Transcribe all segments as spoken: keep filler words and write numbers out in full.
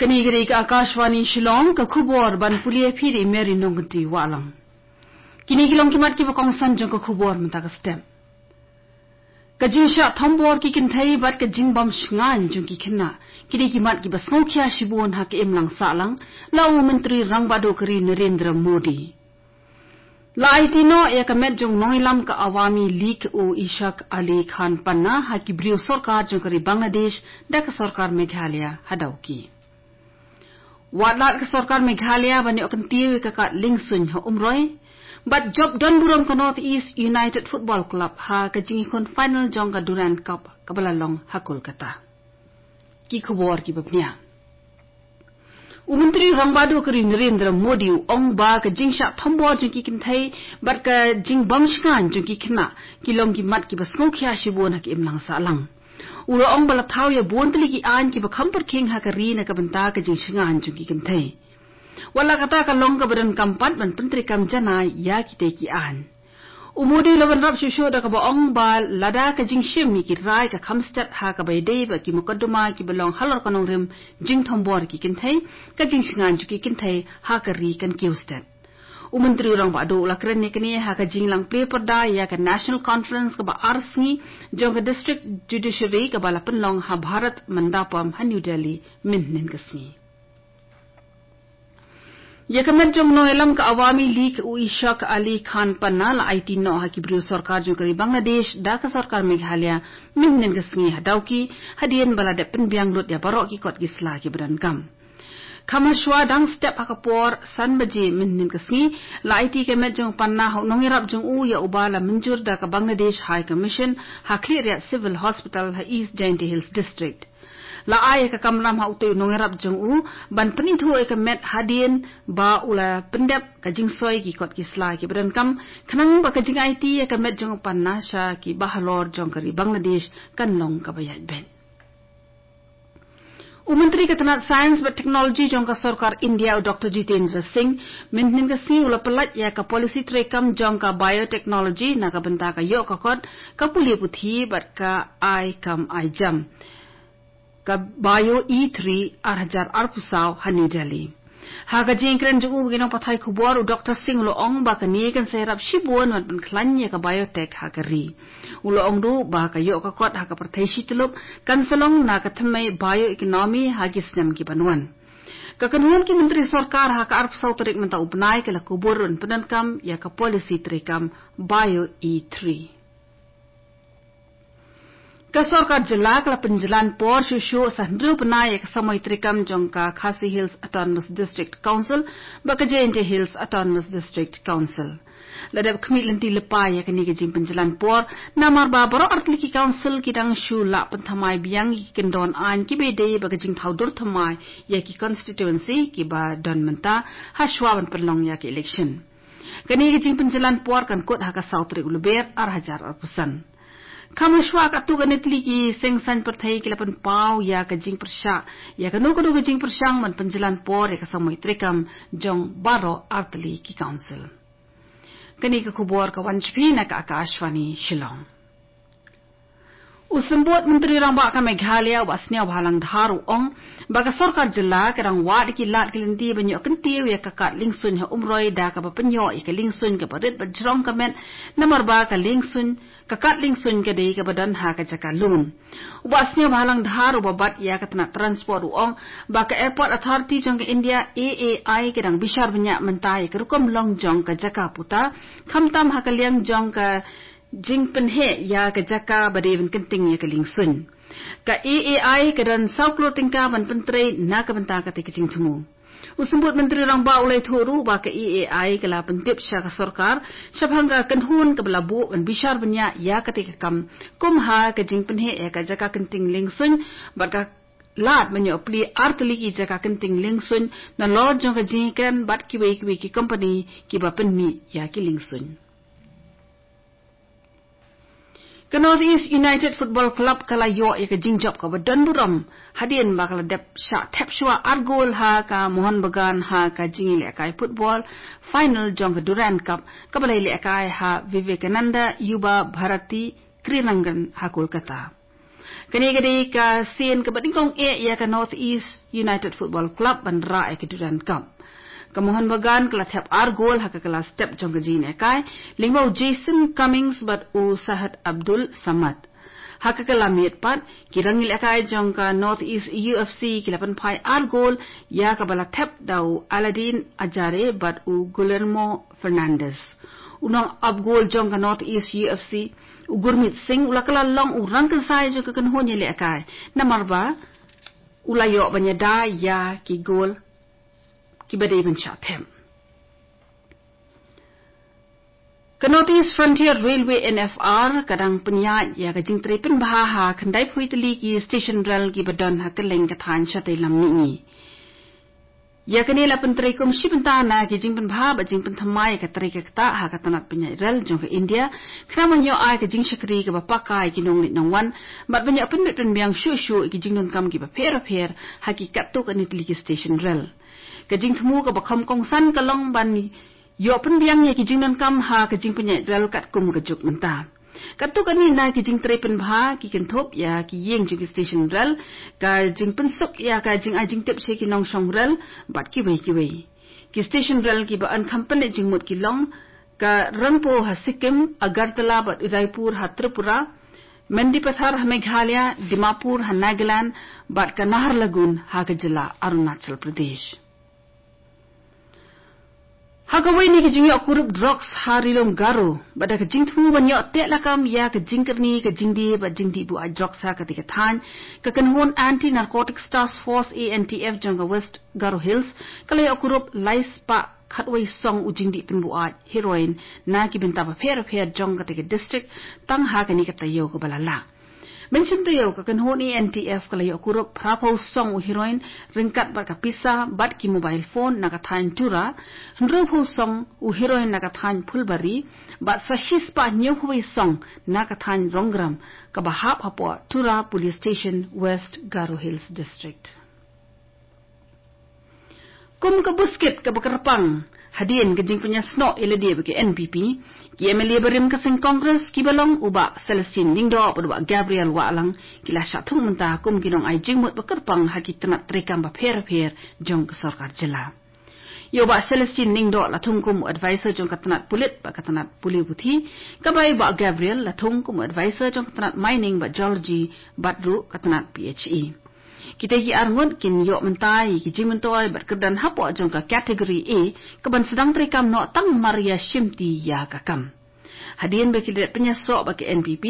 Kane ka dei ka Akashvani Shillong, ka khubor ban pule ïa phi da i Mary Nongkynti Wahlang. Kine ki long ki mat kiba kongsan jong ka khubor mynta ka step. Ka jingshah thombor ki kynthei bad ka jingbym shngaiñ jong ki khynnah, ki dei ki mat kiba sngewkhia shibun ha ka imlang sahlang, la ong u Myntri Rangbah Duh ka ri Narendra Modi. La aiti noh ïa ka met jong u nongïalam ka Awami League u Ishaq Ali Khan Panna ha ki briew sorkar jong ka ri Bangladesh da ka sorkar Meghalaya ha Dawki. Wad lad ka sorkar Meghalaya ban ïoh kyntiew ïa ka kad liengsuiñ ha Umroi. Bad jop don burom ka North East United Football Club ha ka jingïakhun final jong ka Durand Cup kaba la long ha Kolkata. Ki khubor kiba bniah. U Myntri Rangbah Duh ka ri Narendra Modi u ong ba ka jingshah thombor jong ki kynthei bad ka jingbym shngaiñ jong ki khynnah ki long ki mat kiba sngewkhia shibun ha ka imlang sahlang. U la ong ba la thaw ïa bun tylli ki aiñ kiba kham pyrkhing ha ka ri na ka bynta ka jingshngaiñ jong ki kynthei. Wat la kata, ka long kaba donkam pat ban pyntreikam janai ïa kitei ki aiñ. U Modi u la bynrap shuh shuh da kaba ong ba lada ka jingshim ïa ki rai ka kham stet ha kaba ïadei bad ki mukotduma kiba long halor ka nongrim jingthombor ki kynthei, ka jingshngaiñ jong ki kynthei ha ka ri kan kiew stet. U Myntri Rangbah Duh u la kren ïa kane ha ka jinglang plie pyrda ïa ka National Conference kaba ar sngi jong ka District Judiciary kaba la pynlong ha Bharat Mandapam ha New Delhi mynhynnin ka sngi. Ïa ka met jong u nongïalam ka Awami League u Ishaq Ali Khan Panna la aiti noh ha ki briew sorkar jong ka ri Bangladesh da ka sorkar Meghalaya mynhynnin ka sngi ha Dawki, hadien ba la dep pynbiang lut ïa baroh ki kot ki sla kiba donkam. Kham hashwa, dang step ha ka por san baje mynhynnin ka sngi, la aiti ïa ka met jong u Panna ha u nongïarap jong u ïa uba la mynjur da ka Bangladesh High Commission ha Khliehriat Civil Hospital ha East Jaintia Hills District. La ai ïa ka kamram ha utei u nongïarap jong u ban pynithuh ïa ka met hadien ba u la pyndep ka jingsoi ki kot ki sla kiba donkam, khnang ba ka jingaiti ïa ka met jong u Panna sha ki bahalor jong ka ri Bangladesh kan long kaba ïaid beit. U Myntri ka tnat Science bad Technology jong ka sorkar India u Doctor Jitendra Singh mynhynnin ka sngi u la pyllait ïa ka policy treikam jong ka biotechnology na ka bynta ka ïoh ka kot, ka pule puthi bad ka ai kam ai jam, ka Bio E three ar hajar arphew saw ha New Delhi. Ha ka jingkren jong u bad ki nongpathai khubor, u Doctor Singh u la ong ba kane kan sa ïarap shibun ban pynkhlaiñ ïa ka biotech ha ka ri. U la ong ruh ba ka ïoh ka kot ha ka pyrthei shi tyllup kan sa long na ka thymmei bioeconomy ha ki snem ki ban wan. Ka kynhun ki myntri sorkar ha ka arphew saw tarik mynta u bnai ka la kubur ban pyndonkam ïa ka policy treikam Bio E three. Ka sorkar jylla ka la pynjlan por shuh shuh sa hynriew bnai ïa ka samoi treikam jong ka Khasi Hills Autonomous District Council bad ka Jaintia Hills Autonomous District Council. La dep khmih lynti lypa ïa kane ka jingpynjlan por namar ba baroh artylli ki council ki dang shu lah pynthymmai biang ïa ki kyndon aiñ kiba ïadei bad ka jingthaw dur thymmai ïa ki constituency kiba don mynta hashwa ban pynlong ïa ka election. Kane ka jingpynjlan por kan kut ha ka saw tarik u Lber ar hajar arphew san. Kham hashwa, katto katne tylli ki seng saiñ pyrthei ki la pynpaw ïa ka jingpyrshah ïa kano kano ka jingpyrshang ban pynjlan por ïa ka samoi treikam jong baroh artylli ki council. Kane ka khubor ka wan sha phi na ka Akashvani Shillong. U Symbud Myntri Rangbah ka Meghalaya u Bah Sniawbhalang Dhar u ong ba ka sorkar jylla ka dang wad ïa ki lad ki lynti ban ïoh kyntiew ïa ka kad liengsuiñ ha Umroi da kaba pynïoh ïa ka liengsuiñ kaba rit bad jrong ka met, namar ba ka liengsuiñ, ka kad liengsuiñ ka dei kaba don ha ka jaka lum. U Bah Sniawbhalang Dhar uba bat ïa ka tnat transport u ong ba ka Airport Authority jong ka India, A A I, ka dang bishar bniah mynta ïa ka rukom long jong ka jaka puta, khamtam ha ka liang jong ka jingpynheh ïa ka jaka ba dei ban kynting ïa ka liengsuiñ. Ka A A I ka don saw klur tyngka ban pyntrei na ka bynta kata ka jingthmu. U Symbud Myntri Rangbah u la ïathuh ruh ba ka A A I ka la pyntip sha ka sorkar shaphang ka kynhun kaba la buh ban bishar bniah ïa kata ka kam, kum ha ka jingpynheh ïa ka jaka kynting liengsuiñ bad ka lad ban ïoh plie artylli ki jaka kynting liengsuiñ nalor jong ka jingïakren bad kiwei kiwei ki kompani kiba pynmih ïa ki liengsuiñ. Ka North East United Football Club ka la ïoh ïa ka jingjop kaba don burom hadien ba ka la dep shah thep shuwa ar gol ha ka Mohun Bagan ha ka jingïalehkai football final jong ka Durand Cup kaba la ïalehkai ha Vivekananda Yuba Bharati Krirangan ha Kolkata. Kane ka dei ka sien kaba nyngkong eh ïa ka North East United Football Club ban rah ïa ka Durand Cup. Ka Mohun Bagan ka la thep ar gol ha ka kylla step jong ka jingïalehkai, lyngba u Jason Cummings bad u Sahed Abdul Samad. Ha ka kylla miet pat, ki rangïalehkai jong ka North East U F C ki la pynphai ar gol ïa kaba la thep da u Aladin Ajare bad u Guillermo Fernandez. U nongap gol jong ka North East U F C, u Gurmeet Singh, u la kylla long u rangkynsai jong ka kynhun ïalehkai, namar ba u la ïoh ban ïada ïa ki gol kiba dei ban shah thep. Ka North East Frontier Railway, N F R, ka dang pynïaid ïa ka jingtrei pynbha ha khyndai phew tylli ki station rel kiba don ha kylleng ka thaiñ shatei lam mihngi. Ïa kane la pyntrei kum shi bynta na ki jingpynbha bad jingpynthymmai ïa ka trei ka ktah ha ka tnat pynïaid rel jong ka India, khnang ban ïoh ai ka jingshakri kaba paka ïa ki nongleit nongwan, bad ban ïoh pynbit pynbiang shuh shuh ïa ki jingdonkam kiba pher bapher ha ki katto katne tylli ki station rel. Ka jingthmu kaba kham kongsan ka long ban ïoh pynbiang ïa ki jingdonkam ha ka jingpynïaid rel katkum ka juk mynta. Katto katne na ki jingtrei pynbha ki kynthup ïa ki ïing jong ki station rel, ka jingpynsuk ïa ka jingai jingtip sha ki nongshong rel bad kiwei kiwei. Ki station rel kiba yn kham pynleit jingmut ki long ka Rangpo ha Sikkim, Agartala bad Udaipur ha Tripura, Mendipathar ha Meghalaya, Dimapur ha Nagaland bad ka Naharlagun ha ka jylla Arunachal Pradesh. Ha kawei na ki jingïoh kurup drugs ha Ri Lum Garo bad da ka jingthmu ban ïoh teh lakam ïa ka jingkyrni ka jingdie bad jingdih buaid drugs ha katei ka thaiñ, ka kynhun Anti Narcotics Task Force, A N T F, jong ka West Garo Hills ka la ïoh kurup lai spah khatwei song u jingdih pynbuaid heroin na ki bynta bapher bapher jong katei ka district tang ha kane ka taïew kaba la lah. Mynshem taïew ka kynhun A N T F ka la ïoh kurup phra phew song u heroin ryngkat bad ka pisa bad ki mobile phone na ka thaiñ Tura, hynriew phew song u heroin na ka thaiñ Phulbari bad sa shi spah hynñiew phew wei song na ka thaiñ Rongram kaba hap hapoh Tura Police Station, West Garo Hills District. Kum ka buskit kaba kyrpang hadien ka jingpynïasnoh ïalade bad ka N P P, ki M L A barim ka seng Congress kiba long u Bah Celestine Lyngdoh bad u Bah Gabriel Wahlang ki la shah thung mynta kum ki nongai jingmut ba kyrpang ha ki tnat treikam bapher bapher jong ka sorkar jylla. Ïa u Bah Celestine Lyngdoh la thung kum u advisor jong ka tnat pulit bad ka tnat pule puthi, katba ïa u Bah Gabriel la thung kum u advisor jong ka tnat mining bad geology bad ruh ka tnat P H E. Kita ki arngut kin ïoh mynta ïa ki jingmyntoi bad kyrdan hapoh jong ka category A, kaban sdang treikam noh tang mar ïa shimti ïa ka kam. Hadien ba ki la pynïasoh bad ka N P P,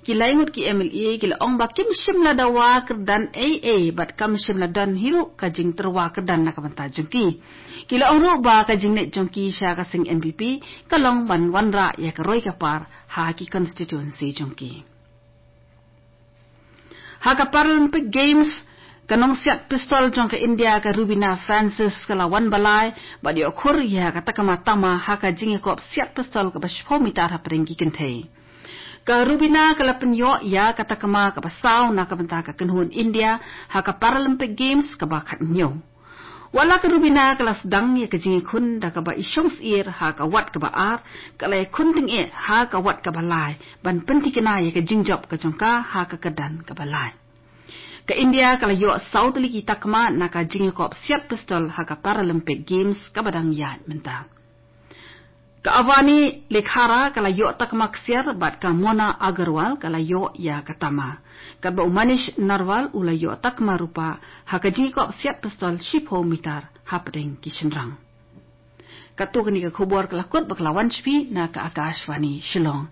ki laingut ki M L A ki la ong ba kim shym la dawa kyrdan ei ei bad kam shym la don hi ruh ka jingtyrwa kyrdan na ka bynta jong ki. Ki la ong ruh ba ka jingleit jong ki sha ka seng N P P ka long ban wanrah ïa ka roi ka par ha ki constituency jong ki. Ha ka Paralympic Games, ka nongsiat pistol jong ka India ka Rubina Francis ka la wan ba lai bad ïoh khur ïa ka takma tama ha ka jingïakop siat pistol kaba shiphew mitar hapdeng ki kynthei. Ka Rubina ka la pynïoh ïa ka takma kaba saw na ka bynta ka kynhun India ha ka Paralympic Games kaba khathynñiew. Wat la ka Rubina ka la sdang ïa ka jingïakhun da kaba i shong syier ha ka wat kaba ar, ka la ïakhun tyngeh ha ka wat kaba lai ban pynthikna ïa ka jingjop ka jong ka ha ka kyrdan kaba lai. Ka India ka la ïoh saw tylli ki takma na ka jingïakop siat pistol ha ka Paralympic Games kaba dang ïaid mynta. Ka Avani Lekhara ka la ïoh takma ksiar bad ka Mona Agarwal ka la ïoh ïa ka tama. Katba u Manish Narwal u la ïoh takma rupa ha ka jingïakop siat pistol shiphew mitar hapdeng ki shynrang. Katto katne ka khubor ka la kut bad ka la wan sha phi na ka Akashvani Shillong.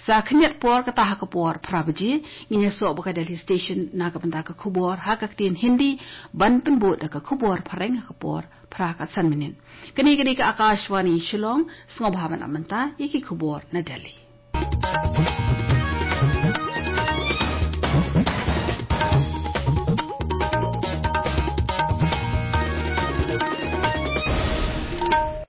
Sa khyndiat por kata ha ka por phra baje, ngin ïasoh bad ka Delhi Station na ka bynta ka khubor ha ka ktien Hindi, ban pynbud da ka khubor phareng ha ka por phra ka san minit. Kane ka dei ka Akashvani Shillong, sngewbha ban ap mynta ïa ki khubor na Delhi.